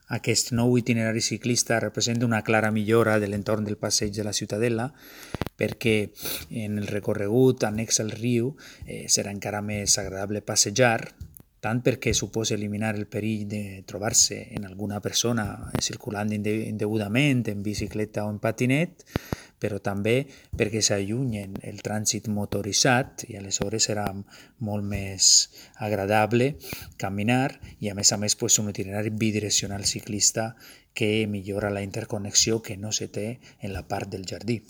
Aquest nou itinerari ciclista representa una clara millora de l'entorn del passeig de la Ciutadella, perquè en el recorregut annex al riu serà encara més agradable passejar, tant perquè suposa eliminar el perill de trobar-se en alguna persona circulant indegudament en bicicleta o en patinet, però també perquè s'allunyen el trànsit motoritzat i aleshores serà molt més agradable caminar i a més un itinerari bidireccional ciclista que millora la interconnexió que no se té en la part del jardí.